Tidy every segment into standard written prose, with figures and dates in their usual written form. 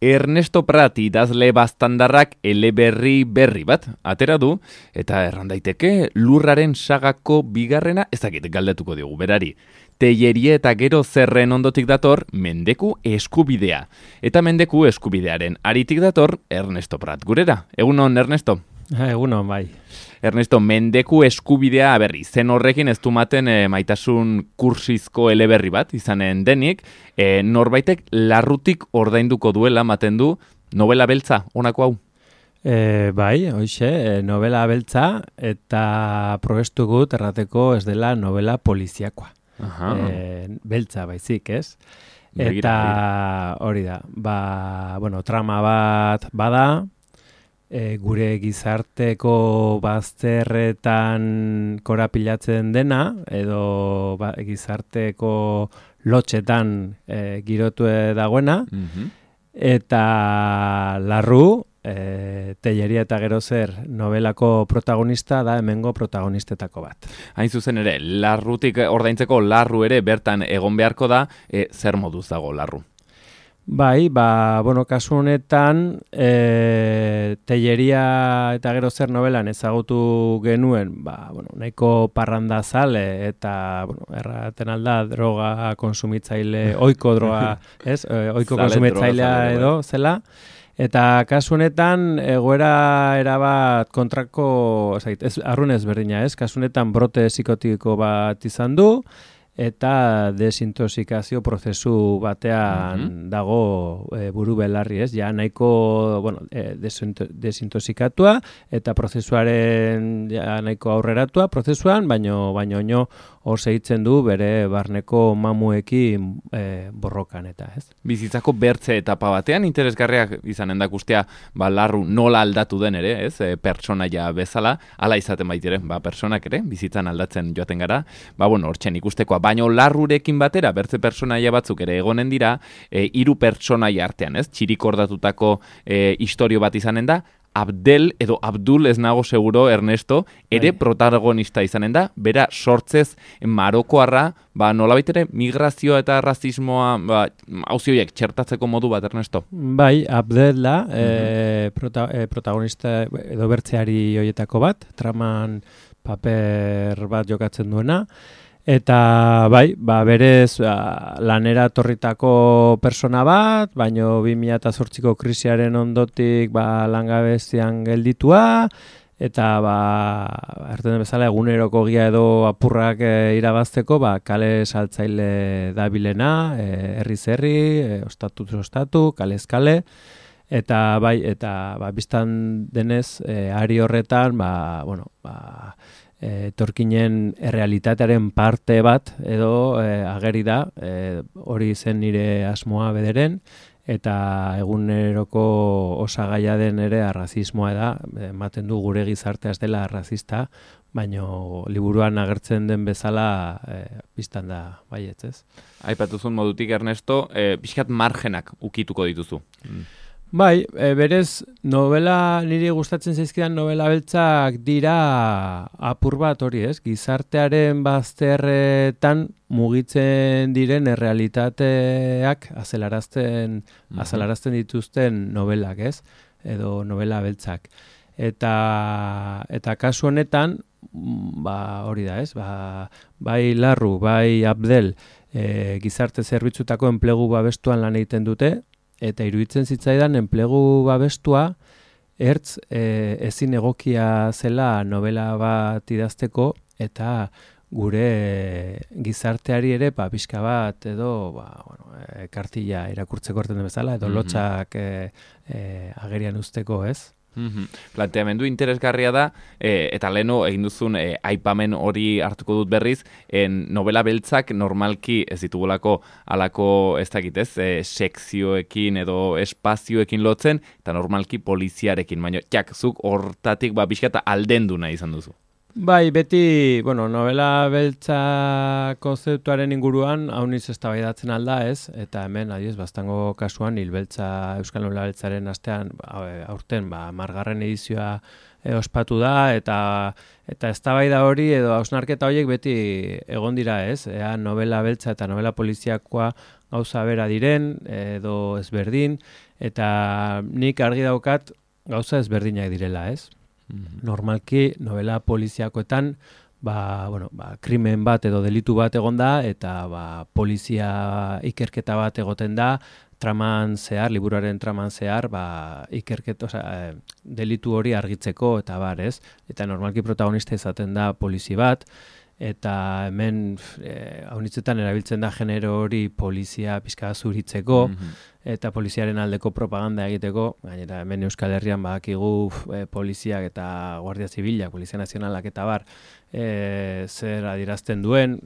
Ernesto Prat idazle baztandarrak eleberri berri bat atera du, eta erran daiteke Lurraren sagako bigarrena, ez dakit galdetuko diogu berari. Tellerie eta gero zerren ondotik dator Mendeku eskubidea. Eta Mendeku eskubidearen aritik dator Ernesto Prat gurera. Egunon, Ernesto? Egunon, bai. Ernesto, Mendeku eskubidea, berri, zen horrekin ez dumaten maitasun kursizko eleberri bat, izanen denik, norbaitek larrutik ordainduko duela maten du novela beltza, honako hau? Bai, hoxe, novela beltza, eta probestu gut errateko ez dela novela poliziakoa. Beltza baizik, ez? Eta hori da, trama bat bada, gure gizarteko bazterretan korapilatzen dena, edo gizarteko lotxetan girotu dagoena, eta larru, Telleria eta gero zer novelako protagonista da hemengo protagonistetako bat. Hain zuzen ere, larrutik ordaintzeko larru ere bertan egon beharko da, zer moduz dago larru? Bai, kasu honetan Telleria eta gero zer novelan ezagutu genuen, nahiko parrandazale eta erraten alda droga konsumitzaile, ohiko droga, ez? Ohiko konsumitzailea edo zela. Eta kasu honetan egoera erabat kontrako, arrunez berdina, ez? Kasu honetan brote psikotiko bat izan du, eta desintoxikazio prozesu batean dago buru belarri, ez? Ja nahiko, desintoxikatua eta prozesuaren nahiko aurreratua prozesuan, baino hor segitzen du bere barneko mamuekin borrokan eta, ez? Bizitzako bertze etapa batean interesgarriak izanen da guztia, larru nola aldatu den ere, ez? Pertsonaia bezala, hala izaten baitere, pertsonak ere, bizitzan aldatzen joaten gara, hortzen ikustekoa, baino larrurekin batera, bertze pertsonaia batzuk ere egonen dira, 3 pertsonaia artean, ez? Txirikordatutako istorio bat izanen da, Abdel edo Abdul, ez nago seguro, Ernesto, ere protagonista izanen da, bera sortzez marokoarra, nolabait ere migrazioa eta rasismoa, hauzioiek txertatzeko modu bat, Ernesto? Bai, Abdel da, protagonista edo bertzeari hoietako bat, traman paper bat jokatzen duena, eta berez lanera torritako persona bat, baino 2008ko krisiaren ondotik langabezian gelditua, eta erten bezala eguneroko gia edo apurrak irabazteko kale saltzaile dabilena, herri, ostatu, kalez kale, eta biztan denez ari horretan etorkinen errealitatearen parte bat edo ageri da, hori zen nire asmoa bederen, eta eguneroko osagaia den ere arrazismoa da, ematen du gure gizartea ez dela arrazista, baino liburuan agertzen den bezala biztan da baietz, ez? Aipatuzun modutik, Ernesto, pixkat margenak ukituko dituzu. Bai, berez, niri gustatzen zaizkidan novela beltzak dira apur bat hori, ez? Gizartearen bazterretan mugitzen diren errealitateak azalarazten dituzten novelak, ez? Edo novela beltzak. Eta kasu honetan, hori da, ez? Bai Larru, bai Abdel, gizarte zerbitzutako enplegu babestuan lan egiten dute, eta iruditzen zitzaidan enplegu babestua ezin egokia zela novela bat idazteko, eta gure gizarteari ere pixka bat edo kartilla irakurtzeko erten bezala, edo lotxak agerian usteko, ez? Planteamendu interesgarria da, eta leheno egin duzun aipamen hori hartuko dut berriz, novela beltzak normalki ez ditugulako alako ez dakitez, sekzioekin edo espazioekin lotzen, eta normalki poliziarekin, baina zuk hortatik bizkata aldendu nahi izan duzu. Bai, beti, novela beltza konzeptuaren inguruan hauniz eztabaidatzen alda, ez? Eta hemen, adiez, Baztango kasuan, Euskal Novela Beltzaren astean, aurten, margarren edizioa ospatu da, eta eztabaida hori edo hausnarketa horiek beti egon dira, ez? Ea novela beltza eta novela poliziakoa gauza bera diren, edo ezberdin, eta nik argi daukat gauza ezberdinak direla, ez? Normalki, novela poliziakoetan, krimen bat edo delitu bat egon da, eta polizia ikerketa bat egoten da, traman zehar, liburuaren traman zehar, delitu hori argitzeko, eta ez? Eta normalki protagonista izaten da polizi bat, eta hemen haunitzetan erabiltzen da genero hori polizia pixka zuritzeko, eta poliziaren aldeko propaganda egiteko, gainera hemen Euskal Herrian badakigu poliziak eta Guardia Zibilak, Polizia Nazionalak eta zer adierazten duen,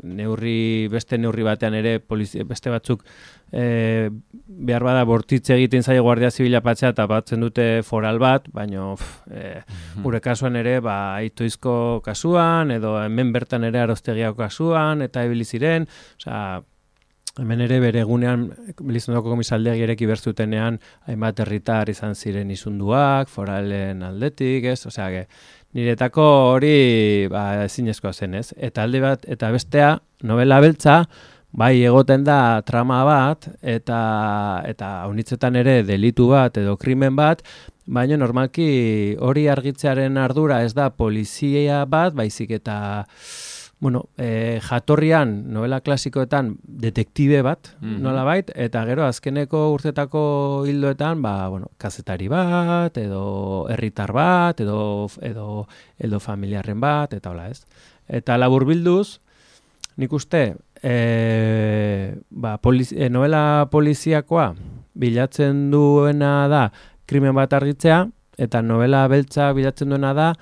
beste neurri batean ere beste batzuk behar bada bortitze egiten zaio Guardia Zibila patzea eta batzen dute foral bat, baina gure kasuan ere Itoizko kasuan, edo hemen bertan ere Arostegiako kasuan, eta ibiliziren, hemen ere bere egunean Elizondoko komisaldegia ireki berzutenean hainbat herritar izan ziren izunduak, foralen aldetik, ez? Niretako hori ezinezkoa zen, ez? Eta alde bat, eta bestea, novela beltza, bai egoten da trama bat, eta haunitzetan ere delitu bat edo krimen bat, baina normalki hori argitzearen ardura ez da polizia bat, baizik eta jatorrian, novela klasikoetan, detektibe bat, nolabait, eta gero azkeneko urtetako hildoetan, kazetari bat, edo herritar bat, edo familiarren bat, eta hola ez. Eta laburbilduz, nik uste, novela poliziakoa bilatzen duena da krimen bat argitzea, eta novela beltza bilatzen duena da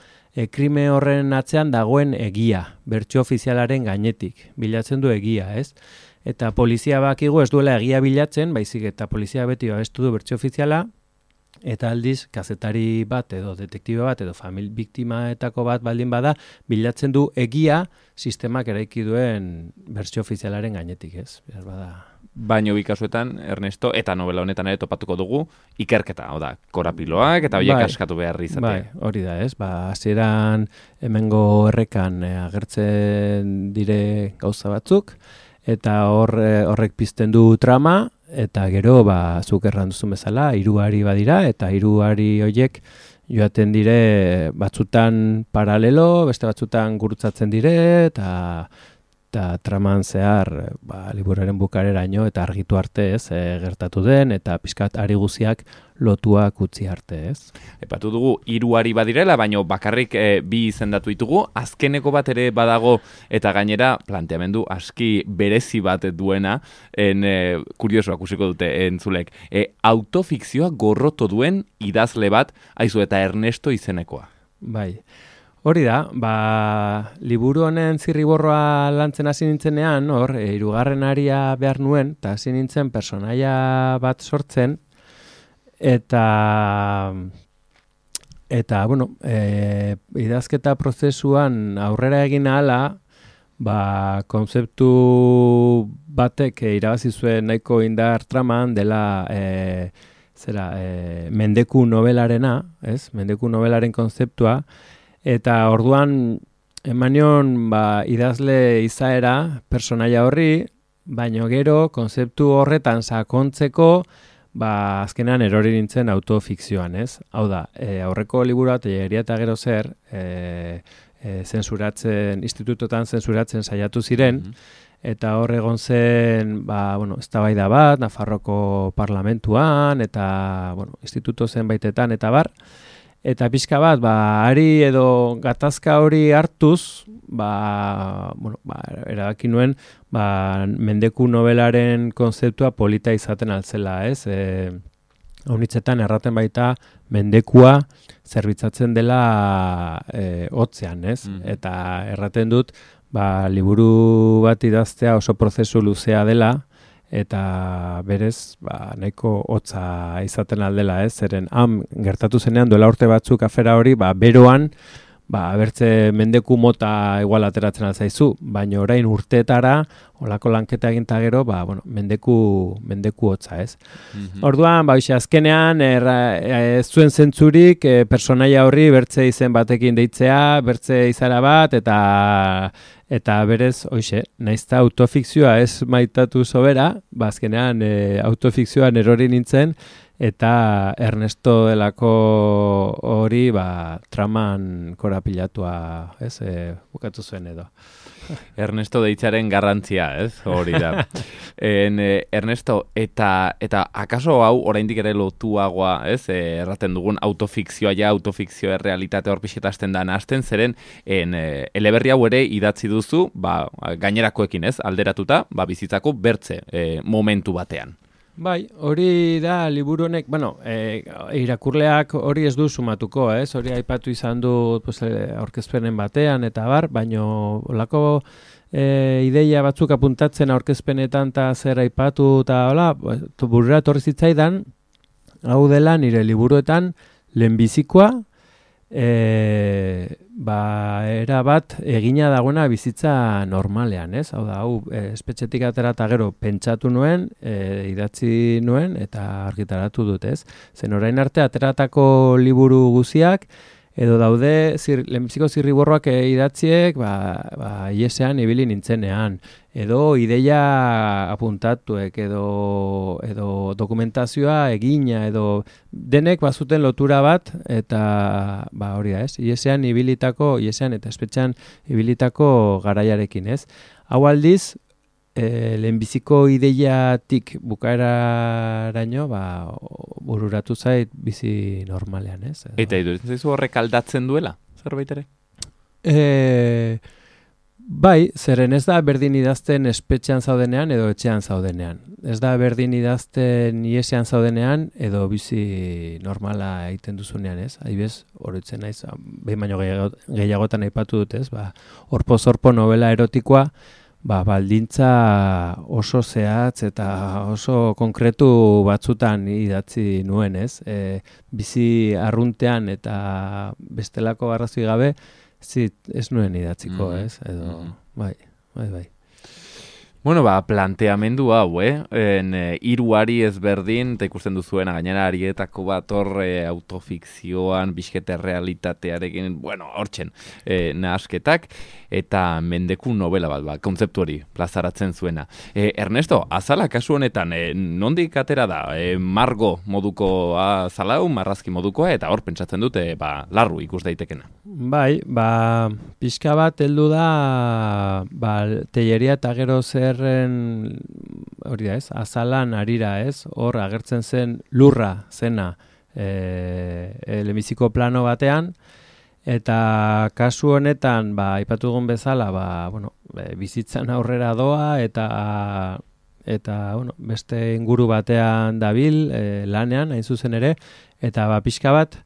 krime horren atzean dagoen egia, bertsio ofizialaren gainetik, bilatzen du egia, ez? Eta polizia bakigu ez duela egia bilatzen, baizik eta polizia beti babestu du bertsio ofiziala, eta aldiz, kazetari bat edo detektibe bat edo biktimaetako bat baldin bada, bilatzen du egia sistemak eraiki duen bertsio ofizialaren gainetik, ez? Baina bikasuetan, Ernesto, eta novela honetan ere topatuko dugu, ikerketa, korapiloak eta horiek askatu behar izatea. Bai, hori da, ez? Hasieran hemengo errekan agertzen dire gauza batzuk, eta horrek pizten du trama, eta gero, zuk erran duzun bezala, 3 hari badira, eta 3 hari horiek joaten dire batzutan paralelo, beste batzutan gurutzatzen dire, eta traman zehar liburuaren bukareraino eta argitu arte, ez, gertatu den, eta pixkat ari guziak lotuak utzi arte, ez. Epatu dugu 3 hari badirela, baina bakarrik 2 izendatu ditugu, azkeneko bat ere badago, eta gainera planteamendu aski berezi bat duena, kuriosoak usiko dute entzulek, autofikzioa gorroto duen idazle bat, aizu eta Ernesto izenekoa. Bai. Hori da, liburu honen zirriborroa lantzen hasi nintzenean, 3. aria behar nuen, eta hasi nintzen personaia bat sortzen, eta idazketa prozesuan aurrera egin ahala, kontzeptu batek irabazi zuen nahiko indar traman dela mendeku novelarena, ez? Mendeku novelaren kontzeptua, eta orduan emanion idazle izaera personaia horri, baino gero kontzeptu horretan sakontzeko azkenean erori nintzen autofikzioan, ez? Hau da, aurreko liburua Telleria eta gero zer institutotan zensuratzen saiatu ziren, eta hor egon zen, eztabaida bat, Nafarroko parlamentuan, eta, instituto zenbaitetan, eta eta pixka bat, ari edo gatazka hori hartuz, erabaki nuen, mendeku novelaren konzeptua polita izaten altzela, ez? Haunitzetan erraten baita mendekua zerbitzatzen dela hotzean, ez? Eta erraten dut, liburu bat idaztea oso prozesu luzea dela, eta berez nahiko hotza izaten aldela, ez? Zeren gertatu zenean duela urte batzuk afera hori, beroan bertze mendeku mota igual ateratzen alzaizu, baina orain urteetara, olako lanketa eginta gero, mendeku hotza, ez? Orduan, azkenean, ez zuen zentzurik, personaia horri bertze izen batekin deitzea, bertze izara bat, eta berez, naizta autofikzioa ez maitatu sobera, azkenean autofikzioan erori nintzen, eta Ernesto delako hori traman korapilatua, ez, bukatu zuen edo. Ernesto deitzaren garrantzia, ez, hori da. Ernesto, eta akaso hau oraindik ere lotuagoa, ez, erraten dugun autofikzioa autofikzioa realitate hor pixetazten da nahazten, zeren eleberri hau ere idatzi duzu, gainerakoekin, ez, alderatuta, bizitzako bertze momentu batean. Bai, hori da liburu honek, irakurleak hori ez du sumatuko, ez? Hori aipatu izan du aurkezpenen batean eta baino olako ideia batzuk apuntatzen aurkezpenetan eta zer aipatu eta burura torri zitzaidan, hau dela nire liburuetan lehenbizikoa, era bat egina dagoena bizitza normalean, ez? Hau da, espetxetik atera eta gero pentsatu nuen, idatzi nuen eta argitaratu dut, ez? Zen orain arte ateratako liburu guziak, edo daude lehenbiziko zirriborroak idatziek, iesean ibili nintzenean, edo ideia apuntatuek, edo dokumentazioa egina, edo denek bazuten lotura bat, eta hori da, ez? Iesean eta espetxean ibilitako garaiarekin, ez? Hau aldiz, lehenbiziko ideiatik bukaeraraino, bururatu zait bizi normalean, ez? Eta iduritzen zaizu horrek aldatzen duela, zerbait ere? Bai, zeren ez da berdin idazten espetxean zaudenean edo etxean zaudenean. Ez da berdin idazten iesean zaudenean edo bizi normala egiten duzunean, ez? Adibidez, oroitzen naiz, behin baino gehiagotan aipatu dut, ez? Horpo-zorpo novela erotikoa, baldintza oso zehatz eta oso konkretu batzutan idatzi nuen, ez? Bizi arruntean eta bestelako arrazoi gabe, ez nuen idatziko, ez? Edo, bai. Bueno, planteamendu hau, hiruari ezberdin, eta ikusten duzuena gainera arietako bat autofikzioan, bizkete realitatearekin, hortzen, nahasketak, eta mendeku novela bat, kontzeptu hori plazaratzen zuena. Ernesto, azala kasu honetan, nondik atera da, margo moduko azalau, marrazki modukoa, eta hor pentsatzen dute, larru ikus daitekena. Bai, pixka bat heldu da, teieria eta gero hori da, ez? Azalan arira, ez? Hor agertzen zen lurra zena lehenbiziko plano batean, eta kasu honetan, aipatu dugun bezala, bizitzan aurrera doa, eta beste inguru batean dabil, lanean, hain zuzen ere, eta pixka bat,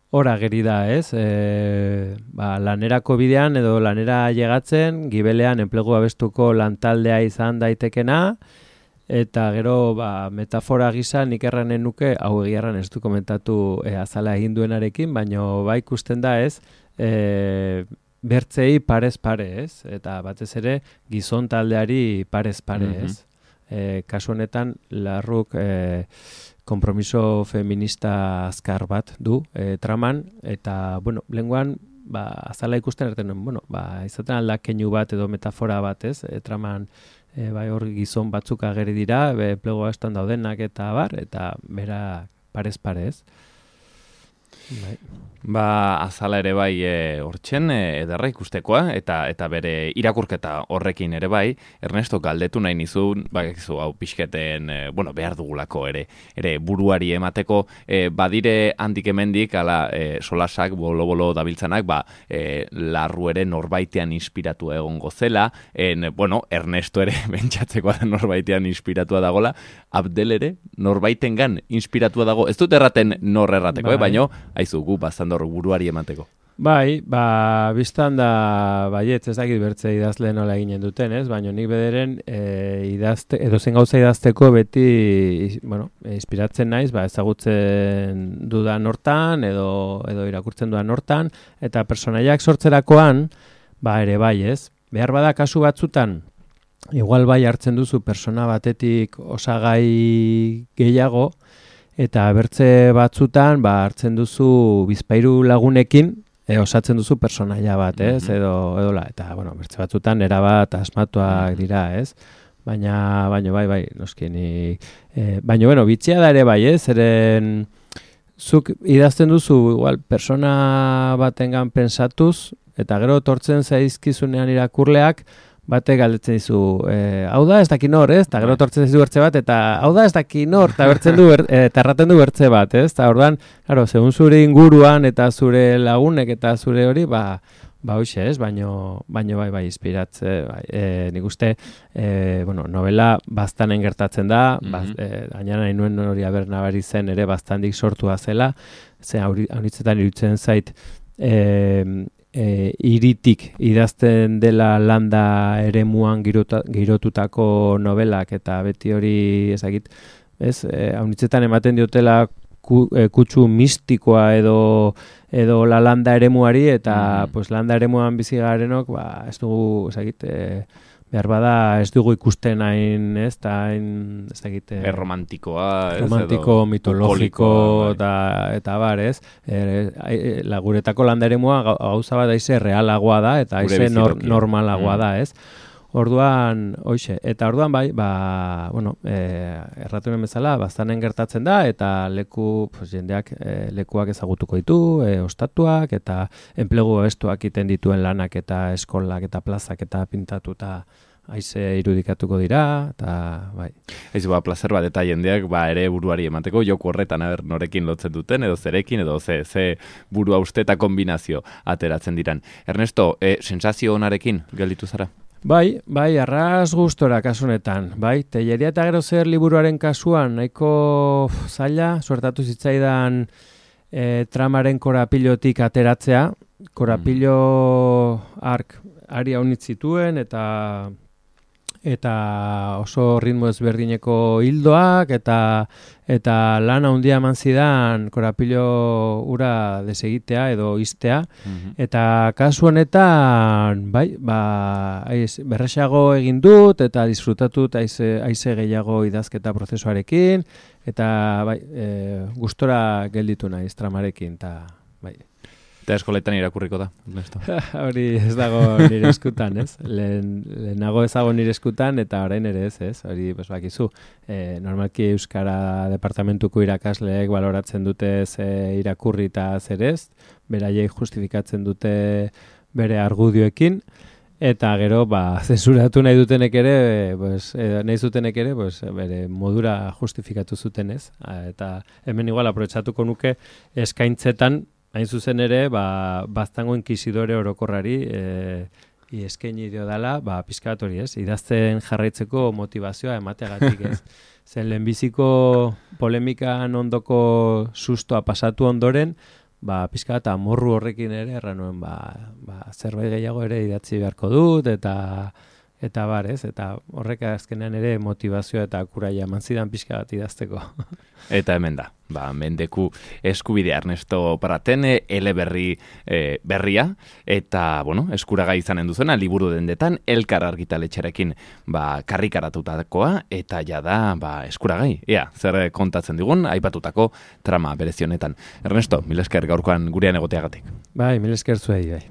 hor ageri da, ez? Lanerako bidean edo lanera llegatzen, gibelean enplegu abestuko lantaldea izan daitekena, eta gero metafora gisa nik erranen nuke, hau egiarran ez du komentatu azala egin duenarekin, baino ikusten da, ez? Bertzei parez pare, ez? Eta batez ere gizon taldeari parez pare, ez? Kasu honetan, larruk kompromiso feminista azkar bat du traman, eta, lenguan, azala ikusten erten nuen, izaten alda keinu bat edo metafora bat, ez? Traman, hor gizon batzuk ageri dira, plegoa estan daudenak eta eta bera parez parez. Azala ere bai hortzen ederra ikustekoa eta bere irakurketa horrekin ere bai, Ernesto galdetu nahi nizun, hau pixketen, behar dugulako ere buruari emateko, badire handik hemendik, solasak, bolo-bolo dabiltzanak, larru ere norbaitean inspiratu egongo zela, Ernesto ere bentsatzeko norbaitean inspiratua dagola, Abdel ere norbaitengan inspiratua dago, ez dut erraten nor errateko, baino, haizu gu bazandor buruari emateko. Bai, biztan da, baietz, ez dakit bertze idazle nola eginen duten, ez? Baina nik bederen edo zen gauza idazteko beti, inspiratzen naiz, ezagutzen dudan hortan, edo irakurtzen dudan hortan, eta personaiak sortzerakoan, ere bai, ez? Behar bada kasu batzutan, igual bai hartzen duzu persona batetik osagai gehiago, eta bertze batzutan, hartzen duzu bizpahiru lagunekin, osatzen duzu personaia bat, ez? Edola, eta, bertze batzutan erabat asmatuak dira, ez? Baina bai, noski ni... Baina, bitxia da ere bai, ez? Zeren, zuk idazten duzu, igual, persona batengan pensatuz, eta gero tortzen zaizkizunean irakurleak, batek galdetzen dizu, hau da ez daki nor, ez? Eta gero tortzen dizu bertze bat, eta hau da ez daki nor, eta erraten du bertze bat, ez? Eta orduan, claro, segun zure inguruan eta zure lagunek eta zure hori, hoxe, ez? Baino bai, inspiratze, nik uste, novela bastanen gertatzen da, gaina nahi nuen hori nabari zen ere bastandik sortua zela, ze haunitzetan iruditzen zait, iritik idazten dela landa eremuan girotutako novelak eta beti hori ezagit, ez? Haunitzetan ematen diotela kutsu mistikoa edo la landa eremuari eta landa eremuan bizi garenok, ez dugu, ezagit, behar bada ez dugu ikusten hain, ez, eta hain, ez dakit... romantikoa, ez? Romantiko, mitologiko, eta bar, ez? Guretako landa eremua gauza bat aize realagoa da, eta aize normalagoa da, ez? Orduan, hoxe, eta orduan bai, erratunen bezala, bastanen gertatzen da, eta jendeak lekuak ezagutuko ditu, ostatuak, eta enplegu estuak iten dituen lanak, eta eskolak, eta plazak, eta pintatuta haize irudikatuko dira, eta bai. Eizu, plazer bat, eta jendeak ere buruari emateko, joku horretan norekin lotzen duten, edo zerekin, edo ze burua uste eta kombinazio ateratzen diran. Ernesto, sensazio onarekin gelditu zara? Bai, arras gustora kasunetan. Bai, Telleria eta gero zer liburuaren kasuan, nahiko zaila, suertatu zitzaidan tramaren korapilotik ateratzea. Korapilo ari haunitz zituen eta oso ritmo ezberdineko hildoak eta lana handia eman zidan korapilo ura desegitea edo iztea. Eta kasu honetan, berrexago egin dut eta disfrutatut aize gehiago idazketa prozesuarekin eta gustora gelditu naiz tramarekin eta bai. Eta eskoletan irakurriko da, Ernesto. Hori ez dago nire eskutan, ez? Lehenago ez dago nire eskutan, eta orain ere ez? Hori, bakizu, normalki Euskara Departamentuko irakasleek baloratzen dute irakurri eta zer ez, beraiek justifikatzen dute bere argudioekin, eta gero, zensuratu nahi dutenek ere, bere modura justifikatu zuten ez. Eta hemen igual aprobetxatuko nuke eskaintzetan, hain zuzen ere, baztango inkisidore orokorrari eskaini dio dela, pixka bat hori ez, idazten jarraitzeko motivazioa emateagatik ez. Zen lehenbiziko polemikan ondoko sustoa pasatu ondoren, pixka bat amorru horrekin ere, erran nuen, zerbait gehiago ere idatzi beharko dut, eta bar ez, eta horrek azkenean ere motivazioa eta kuraia eman zidan pixka bat idazteko. Eta hemen da, mendeku eskubidea Ernesto Paraten, eleberri berria, eta, eskuragai izanen duzuena, liburu dendetan, Elkar argitaletxerekin karrikaratutakoa, eta jada, eskuragai, zer kontatzen digun, aipatutako trama berezionetan. Ernesto, mil esker gaurkoan gurean egoteagatik. Bai, mil esker zuei, bai.